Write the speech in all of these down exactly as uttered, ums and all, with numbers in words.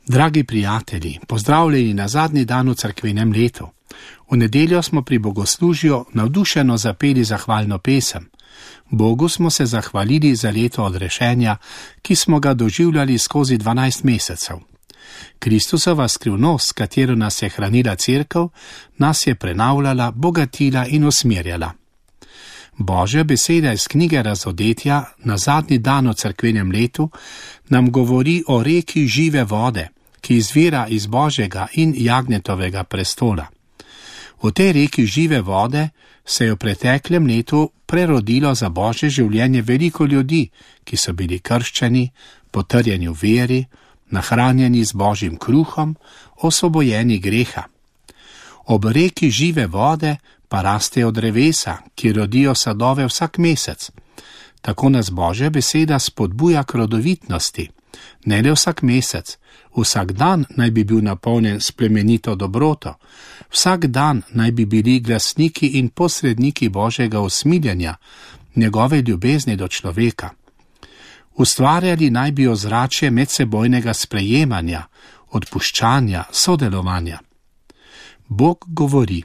Dragi prijatelji, pozdravljeni na zadnji dan v cerkvenem letu. V nedeljo smo pri bogoslužju navdušeno zapeli zahvalno pesem. Bogu smo se zahvalili za leto odrešenja, ki smo ga doživljali skozi dvanajst mesecev. Kristusova skrivnost, s katero nas je hranila cerkev, nas je prenavljala, bogatila in usmerjala. Božja beseda iz knjige Razodetja na zadnji dan v cerkvenem letu nam govori o reki žive vode, ki izvira iz Božjega in Jagnetovega prestola. V tej reki žive vode se je v preteklem letu prerodilo za Božje življenje veliko ljudi, ki so bili krščeni, potrjeni v veri, nahranjeni z Božjim kruhom, osvobojeni greha. Ob reki žive vode pa rastejo drevesa, ki rodijo sadove vsak mesec. Tako nas Božja beseda spodbuja k rodovitnosti. Ne le vsak mesec, vsak dan naj bi bil napolnjen s plemenito dobroto, vsak dan naj bi bili glasniki in posredniki Božjega usmiljenja, njegove ljubezni do človeka. Ustvarjali naj bi ozračje medsebojnega sprejemanja, odpuščanja, sodelovanja. Bog govori: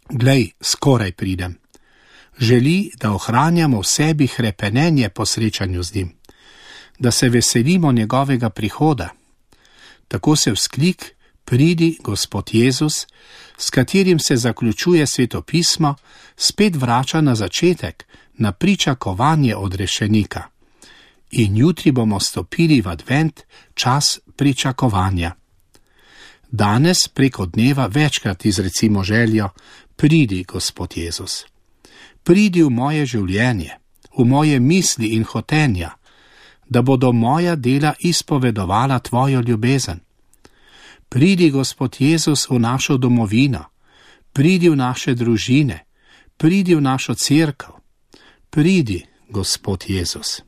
glej, skoraj pridem. Želi, da ohranjamo v sebi hrepenenje po srečanju z njim, da se veselimo njegovega prihoda. Tako se vzklik "Pridi, Gospod Jezus", s katerim se zaključuje svetopismo, spet vrača na začetek, na pričakovanje odrešenika. In jutri bomo stopili v advent, čas pričakovanja. Danes preko dneva večkrat izrecimo željo: pridi, Gospod Jezus. Pridi v moje življenje, v moje misli in hotenja, da bodo moja dela izpovedovala tvojo ljubezen. Pridi, Gospod Jezus, v našo domovino, pridi v naše družine, pridi v našo cerkev. Pridi, Gospod Jezus.